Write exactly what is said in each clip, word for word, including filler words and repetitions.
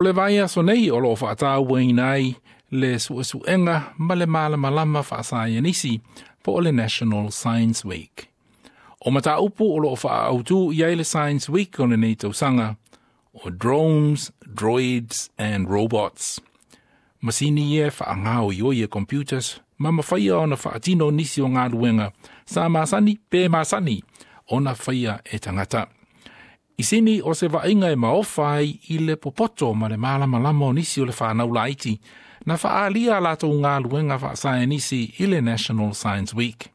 O le vaiaso nei o loo faatauaina ai le suesuega ma le malamalama faasaienisi po o le National Science Week. O mataupu o loo faaautu i ai le Science Week o lenei tausaga o drones, droids and robots. Masini e faagaoioi e computers ma mafaia ona faatino nisi o galuega sa masani pe masani ona faia e tagata. I Sini o se vaaiga e maofa ai i le popoto ma le malamalama o nisi o le fanau laiti na faaalia a latou galuega faasaienisi i le National Science Week.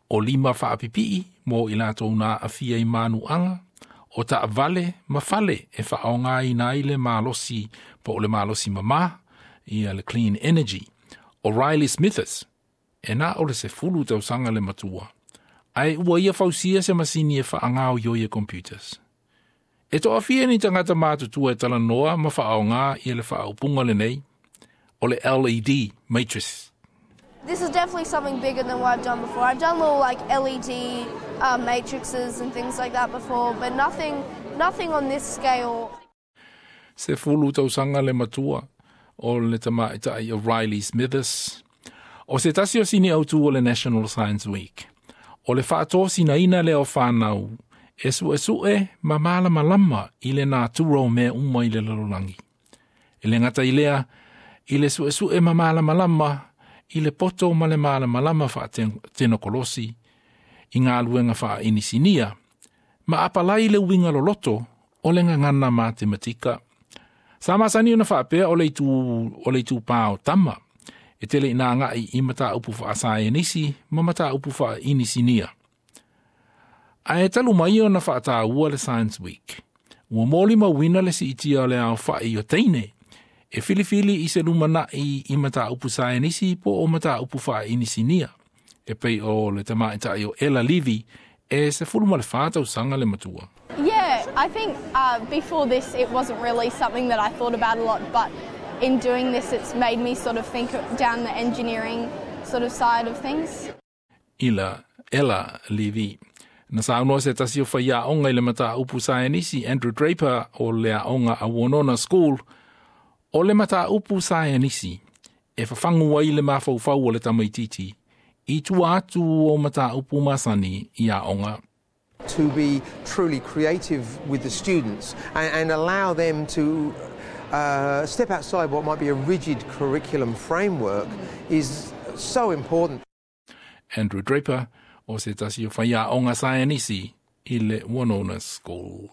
O lima faapipii mo i latou na aafia i manuaga, o taavale ma fale e faaaogaina ai le malosi po o le malosi mamā, ia le clean energy. O Riley Smithers, e na o le sefulu tausaga le matua, ae ua ia fausia se masini e faagaoioi e computers. E toafia ni tagata matutua e talanoa ma faaaoga ia le faaupuga lenei, o le L E D matrix. This is definitely something bigger than what I've done before. I've done little, like, L E D uh, matrices and things like that before, but nothing, nothing on this scale. Sefulu tausaga le matua o le tamaitai o Riley Smithers. O se tasi o sini autu o le National Science Week. O le faatosinaina lea o fanau e suesue ma malamalama i le natura o mea uma i le lalolagi. E le gata i lea, i le suesue ma malamalama i le poto ma le malamalama faatenokolosi i galuega faainisinia, ma apalai le uiga loloto o le gagana matematika. Sa masani ona faapea o le itu, o le itupā o tama, e tele ina agai i mataupu faasaienisi ma mataupu faainisinia. Ae talu mai ona faataua le Science Week, ua molimauina le siitia o le aofai o teine e filifili i se lumanai i mataupu saienisi po o mataupu faainisinia. E pei o le tamaitai o Ella Levy e sefulu ma le fa tausaga le matua. Yeah, I think uh, before this it wasn't really something that I thought about a lot, but in doing this it's made me sort of think down the engineering sort of side of things. Ila Ella Levy. Na saunoa se tasi o faiaoga i le mataupu saienisi Andrew Draper o le aoga a Woonona School, o le mataupu saienisi e fafagu ai le mafaufau o le tamaititi i tua atu o mataupu masani i aoga. To be truly creative with the students and, and allow them to uh, step outside what might be a rigid curriculum framework is so important. Andrew Draper o se tasi o faiaoga saienisi i le Woonona School.